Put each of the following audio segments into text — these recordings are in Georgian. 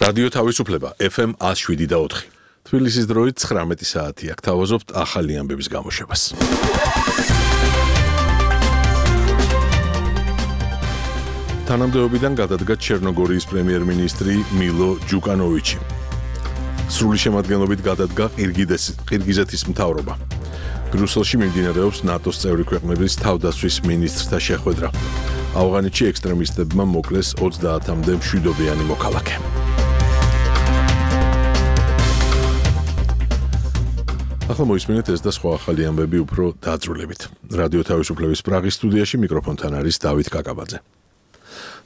რადიო თავისუფლება FM 107.4. თბილისის დროით 19 საათი აქ თავაზობთ ახალი ამბების გამოშვებას. თანამდებობიდან გადადგა ჩერნოგორიის პრემიერ-მინისტრი მილო ჯუკანოვიჩი. სრული შემადგენლობით გადადგა ყირგიზეთის მთავრობა. ბრიუსელში მიმდინარეობს ნატოს წევრი ქვეყნების თავდაცვის მინისტრთა შეხვედრა. ავღანეთში ექსტრემისტებმა მოკლეს 30-მდე მშვიდობიანი მოქალაქე. ახლა მოისმინეთ ეს და სხვა ახალი ამბები უფრო დაწვრილებით. რადიო თავისუფლების პრაღის სტუდიაში მიკროფონთან არის დავით კაკაბაძე.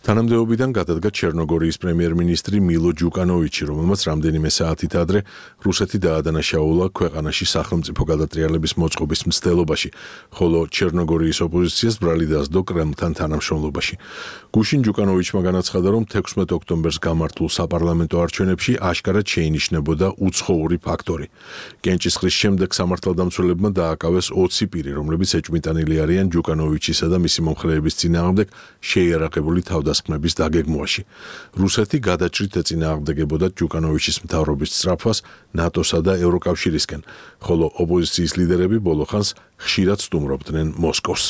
თანამდებობიდან გადადგა ჩერნოგორიის პრემიერ-მინისტრი მილო ჯუკანოვიჩი, რომელმაც რამდენიმე საათით ადრე რუსეთი დაადანაშაულა ქვეყანაში სახელმწიფო გადატრიალების მოწყობის მცდელობაში, ხოლო ჩერნოგორიის ოპოზიციას ბრალი დასდო კრემლთან თანამშრომლობაში. გუშინ ჯუკანოვიჩმა განაცხადა, რომ 16 ოქტომბერს გამართულ საპარლამენტო არჩევნებში აშკარად შეინიშნებოდა უცხოური ფაქტორი. კენჭისყრის შემდეგ სამართალდამცველებმა დააკავეს 20 პირი, რომლებიც ეჭვმიტანილი არიან ჯუკანოვიჩისა და მისი მომხრეების წინააღმდეგ შეიარაღებული თავდასხმების დაგეგმვაში. რუსეთი გადაჭრით ეწინააღმდეგებოდა ჯუკანოვიჩის მთავრობის სწრაფვას ნატოსა და ევროკავშირისკენ, ხოლო ოპოზიციის ლიდერები ბოლო ხანს ხშირად სტუმრობდნენ მოსკოვს.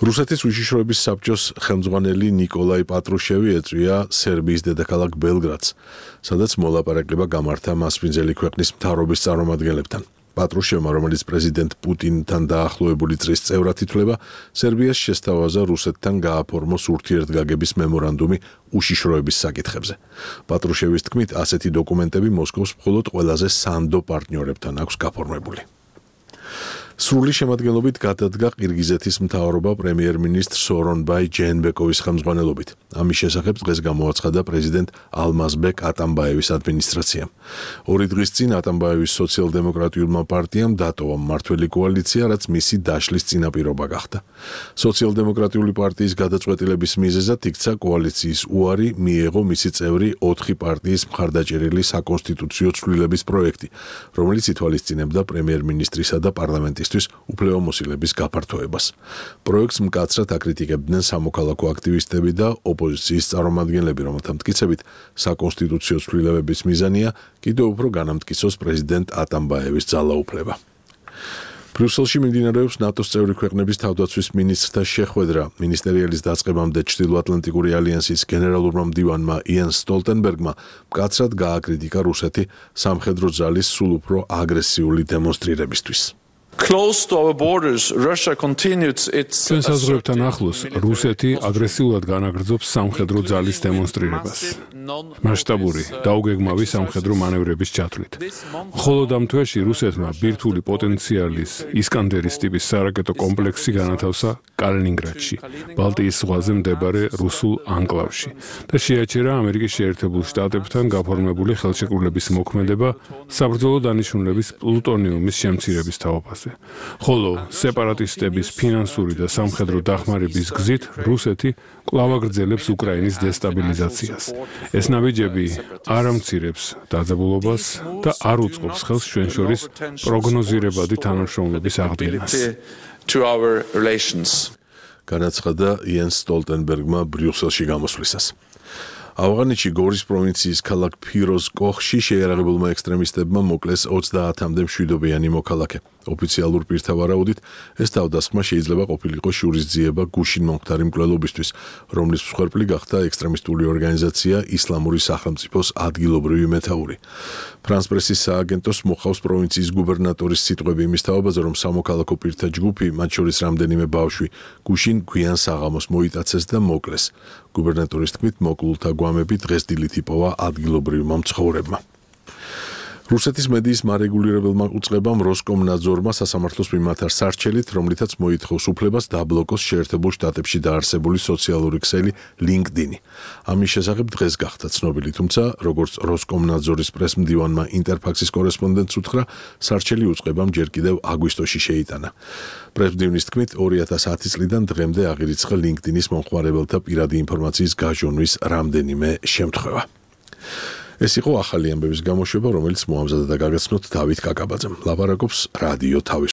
რუსეთის უშიშროების საბჭოს ხელმძღვანელი ნიკოლაი პატრუშევი ეწვია სერბიის დედაქალაქ ბელგრადს, სადაც მოლაპარაკება გამართა მასპინძელი ქვეყნის მთავრობის წარმომადგენლებთან. პატრუშევმა, რომელიც პრეზიდენტ პუტინთან დაახლოებული წრის წევრად ითვლება, სერბიას შესთავაზა რუსეთთან გააფორმოს ურთიერთგაგების მემორანდუმი უშიშროების საკითხებზე. პატრუშევის თქმით, ასეთი დოკუმენტები მოსკოვს მხოლოდ ყველაზე სანდო პარტნიორებთან აქვს გაფორმებული. სრული შემადგენლობით გადადგა ყირგიზეთის მთავრობა პრემიერ-მინისტრ სორონბაი ჯეენბეკოვის ხელმძღვანელობით. ამის შესახებ დღეს გამოაცხადა პრეზიდენტ ალმაზბეკ ატამბაევის ადმინისტრაციამ. 2 დღის წინ ატამბაევის სოციალ-დემოკრატიულმა პარტიამ დატოვა მმართველი კოალიცია, რაც მისი დაშლის წინაპირობა გახდა. სოციალ-დემოკრატიული პარტიის გადაწყვეტილების მიზეზად იქცა კოალიციის უარი მიეღო მისი წევრი 4 პარტიის მხარდაჭერილი საკონსტიტუციო ცვლილების პროექტი, რომელიც ითვალისწინებდა პრემიერ-მინისტრისა და პარლამენტის უფლებამოსილების გაფართოებას. პროექტს მკაცრად აკრიტიკებდნენ სამოქალაქო აქტივისტები და ოპოზიციის წარმომადგენლები, რომელთა მტკიცებით საკონსტიტუციო ცვლილებების მიზანია კიდევ უფრო განამტკიცოს პრეზიდენტ ატამბაევის ძალაუფლება. ბრიუსელში მიმდინარეობს ნატოს წევრი ქვეყნების თავდაცვის მინისტრთა შეხვედრა. მინისტერიალის დაწყებამდე ჩრდილოატლანტიკური ალიანსის გენერალურმა მდივანმა იენს სტოლტენბერგმა მკაცრად გააკრიტიკა რუსეთი სამხედრო ძალის სულ უფრო აგრესიული დემონსტრირებისთვის. ჩვენს საზღვრებთან ახლოს რუსეთი აგრესიულად განაგრძობს სამხედრო ძალის დემონსტრირებას, მასშტაბური დაუგეგმავი სამხედრო მანევრების ჩათვლით. მხოლოდ ამ თვეში რუსეთმა ბირთვული პოტენციალის ისკანდერის ტიპის სარაკეტო კომპლექსი განათავსა კალინინგრადში, ბალტიის ზღვაზე მდებარე რუსულ ანკლავში და შეაჩერა ამერიკის შეერთებულ შტატებთან გაფორმებული ხელშეკრულების მოქმედება საბრძოლო დანიშნულების პლუტონიუმის შემცირების თაობაზე. ხოლო სეპარატისტების ფინანსური და სამხედრო დახმარების გზით რუსეთი კვლავ აგრძელებს უკრაინის დესტაბილიზაციას. ეს ნაბიჯები არ ამცირებს დაძაბულობას და არ უწყობს ხელს ჩვენ შორის პროგნოზირებადი თანამშრომლობის აღდგენას. განაცხადა იენს სტოლტენბერგმა ბრიუსელში გამოსვლისას. ავღანეთში გორის პროვინციის ქალაქ ფიროს კოხში შეიარაღებულმა ექსტრემისტებმა მოკლეს 30-მდე მშვიდობიანი მოქალაქე. ოფიციალურ პირთა ვარაუდით, ეს თავდასხმა შეიძლება ყოფილიყო შურისძიება გუშინ მომხდარი მკვლელობისთვის, რომლის მსხვერპლი გახდა ექსტრემისტული ორგანიზაცია ისლამური სახელმწიფოს ადგილობრივი მეთაური. ფრანს პრესის სააგენტოს მოხავს პროვინციის გუბერნატორის სიტყვები იმის თაობაზე, რომ სამოქალაქო პირთა ჯგუფი, მათ შორის რამდენიმე ბავშვი, გუშინ გვიან საღამოს მოიტაცეს და მოკლეს. გუბერნატორის თქმით, მოკლულთა გვამები დღეს დილით იპოვა ადგილობრივმა მცხოვრებმა. რუსეთის მედიის მარეგულირებელმა უწყებამ როსკომნაძორმა სასამართლოს მიმართა სარჩელით, რომლითაც მოითხოვს უფლებას დაბლოკოს შეერთებულ შტატებში დაარსებული სოციალური ქსელი LinkedIn-ი. ამის შესახებ დღეს გახდა ცნობილი, თუმცა როგორც როსკომნაძორის პრესმდივანმა ინტერფაქსის კორესპონდენტს უთხრა, სარჩელი უწყებამ ჯერ კიდევ აგვისტოში შეიტანა. პრესმდივნის თქმით, 2010 წლიდან დღემდე აღირიცხა LinkedIn-ის მომხმარებელთა პირადი ინფორმაციის გაჟონვის რამდენიმე შემთხვევა. ეს იყო ახალი ამბების გამოშვება, რომელიც მოამზადა და გაგაცნოთ დავით კაკაბაძემ. ლაპარაკობს რადიო თავისუფლება.